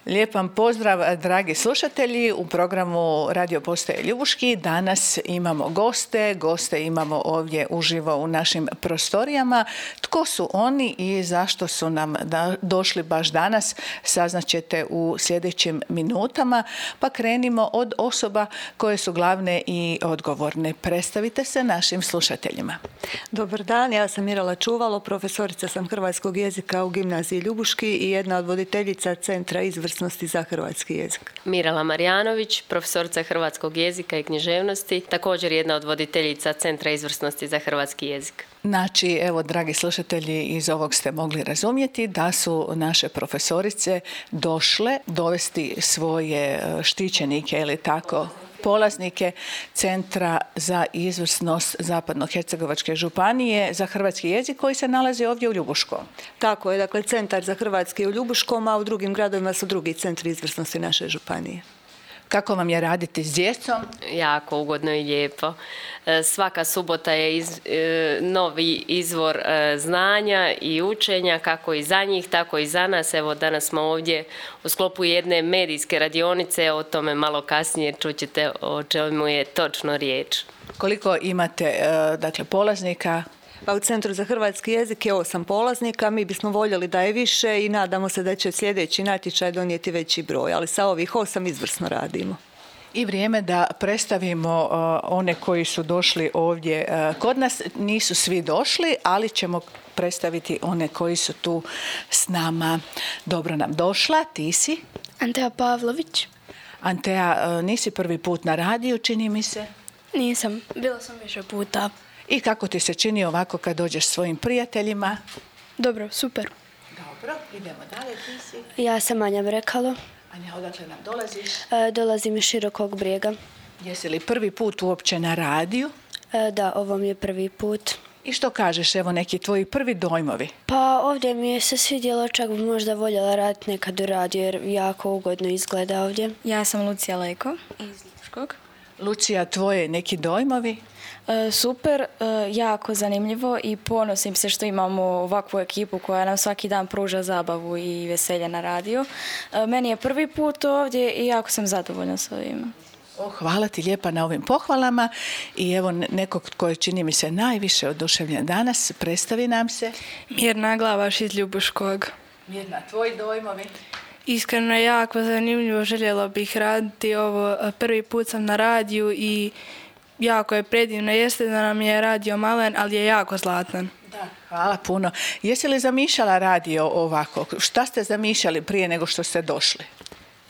Lijep vam pozdrav, dragi slušatelji, u programu Radio Postaje Ljubuški. Danas imamo goste imamo ovdje uživo u našim prostorijama. Tko su oni i zašto su nam došli baš danas, saznaćete u sljedećim minutama. Pa krenimo od osoba koje su glavne i odgovorne. Predstavite se našim slušateljima. Dobar dan, ja sam Mirala Čuvalo, profesorica sam hrvatskog jezika u gimnaziji Ljubuški i jedna od voditeljica Centra izvrsnosti za hrvatski jezik. Mirala Marjanović, profesorica hrvatskog jezika i književnosti, također jedna od voditeljica Centra izvrsnosti za hrvatski jezik. Znači, evo, dragi slušatelji, iz ovog ste mogli razumjeti da su naše profesorice došle dovesti svoje štićenike, ili tako, polaznike Centra za izvrsnost Zapadno-hercegovačke županije za hrvatski jezik koji se nalazi ovdje u Ljubuškom. Tako je, dakle, Centar za hrvatski u Ljubuškom, a u drugim gradovima su drugi centri izvrsnosti naše županije. Kako vam je raditi s djecom? Jako ugodno i lijepo. Svaka subota je novi izvor znanja i učenja, kako i za njih, tako i za nas. Evo, danas smo ovdje u sklopu jedne medijske radionice, o tome malo kasnije čućete o čemu je točno riječ. Koliko imate, dakle, polaznika? Pa u Centru za hrvatski jezik je 8 polaznika, mi bismo voljeli da je više i nadamo se da će sljedeći natječaj donijeti veći broj, ali sa ovih 8 izvrsno radimo. I vrijeme da predstavimo one koji su došli ovdje kod nas. Nisu svi došli, ali ćemo predstaviti one koji su tu s nama. Dobro nam došla, ti si? Antea Pavlović. Antea, nisi prvi put na radiju, čini mi se? Nisam, bila sam više puta. I kako ti se čini ovako kad dođeš svojim prijateljima? Dobro, super. Dobro, idemo dalje, ti si? Ja sam Anja Brekalo. Anja, odakle nam dolaziš? Dolazim iz Širokog Brijega. Jesi li prvi put uopće na radiju? Da, ovo mi je prvi put. I što kažeš, evo, neki tvoji prvi dojmovi? Pa ovdje mi je se svidjelo, čak bi možda voljela raditi nekad u radiju jer jako ugodno izgleda ovdje. Ja sam Lucija Leko iz Ljubuškog. Lucija, tvoje neki dojmovi? Super, jako zanimljivo i ponosim se što imamo ovakvu ekipu koja nam svaki dan pruža zabavu i veselje na radiju. Meni je prvi put ovdje i jako sam zadovoljna s ovim. Hvala ti lijepa na ovim pohvalama i evo nekog koji čini mi se najviše oduševljen danas, predstavi nam se. Mirna Glavaš iz Ljubuškog. Mirna, tvoji dojmovi? Iskreno je jako zanimljivo, željela bih raditi ovo. Prvi put sam na radiju i jako je predivno. Jeste da nam je radio malen, ali je jako zlatan. Da, hvala puno. Jesi li zamišljala radio ovako? Šta ste zamišljali prije nego što ste došli?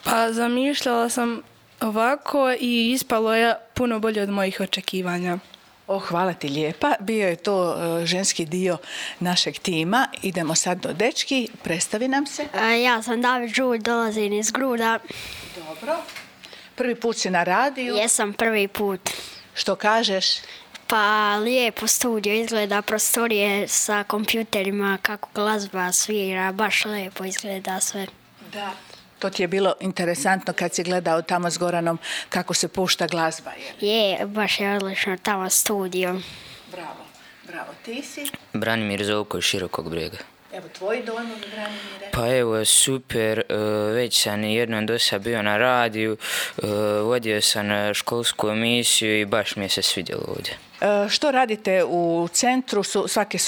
Pa zamišljala sam ovako i ispalo je puno bolje od mojih očekivanja. Hvala ti lijepa. Bio je to ženski dio našeg tima. Idemo sad do dečki. Predstavi nam se. Ja sam David Žulj, dolazim iz Gruda. Dobro. Prvi put si na radiju? Jesam prvi put. Što kažeš? Pa lijepo studio izgleda, prostorije sa kompjuterima, kako glazba svira, baš lijepo izgleda sve. Da. To ti je bilo interesantno kad si gledao tamo s Goranom kako se pušta glazba, je? Je, baš je odlično tamo studio. Bravo, bravo. Ti si? Branimir Zovko iz Širokog Brijega. Evo, tvoji dojmovi, Branimire? Pa evo, super, već sam jednom dosad bio na radiju, vodio sam školsku emisiju i baš mi je se svidjelo ovdje. Što radite u centru? Svake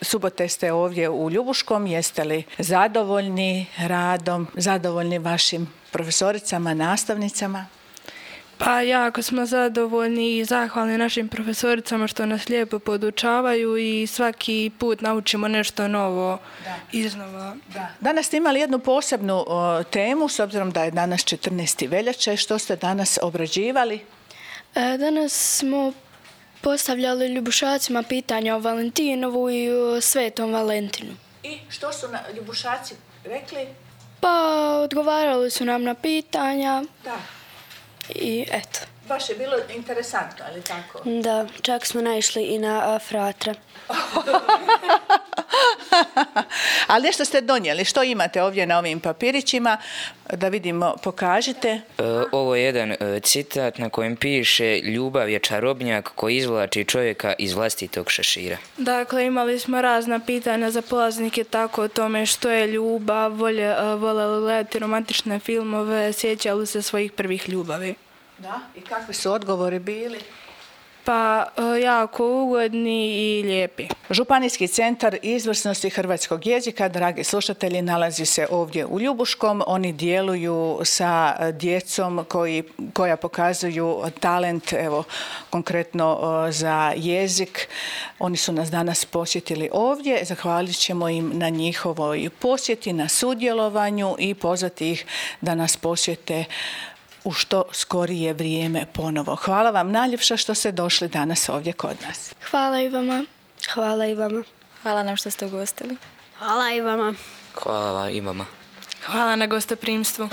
subote ste ovdje u Ljubuškom. Jeste li zadovoljni radom, zadovoljni vašim profesoricama, nastavnicama? Pa jako smo zadovoljni i zahvalni našim profesoricama što nas lijepo podučavaju i svaki put naučimo nešto novo iznova. Da. Danas ste imali jednu posebnu temu, s obzirom da je danas 14. veljače. Što ste danas obrađivali? Danas smo postavljali Ljubušacima pitanja o Valentinovu i o Svetom Valentinu. I što su Ljubušaci rekli? Pa odgovarali su nam na pitanja. Da. I eto. Baš je bilo interesantno, ali tako? Da, čak smo naišli i na fratre. Ali nešto ste donijeli. Što imate ovdje na ovim papirićima? Da vidimo, pokažite. Ovo je jedan citat na kojem piše: ljubav je čarobnjak koji izvlači čovjeka iz vlastitog šešira. Dakle, imali smo razna pitanja za polaznike, tako o tome što je ljubav, vole li gledati romantične filmove, sjećali li se svojih prvih ljubavi. Da, i kakvi su odgovori bili? Pa jako ugodni i lijepi. Županijski centar izvrsnosti hrvatskog jezika, dragi slušatelji, nalazi se ovdje u Ljubuškom. Oni djeluju sa djecom koja pokazuju talent, evo konkretno za jezik. Oni su nas danas posjetili ovdje. Zahvalit ćemo im na njihovoj posjeti, na sudjelovanju i pozvati ih da nas posjete u što skorije vrijeme ponovo. Hvala vam najljepša što ste došli danas ovdje kod nas. Hvala i vama. Hvala i vama. Hvala nam što ste ugostili. Hvala i vama. Hvala i vama. Hvala na gostoprimstvu.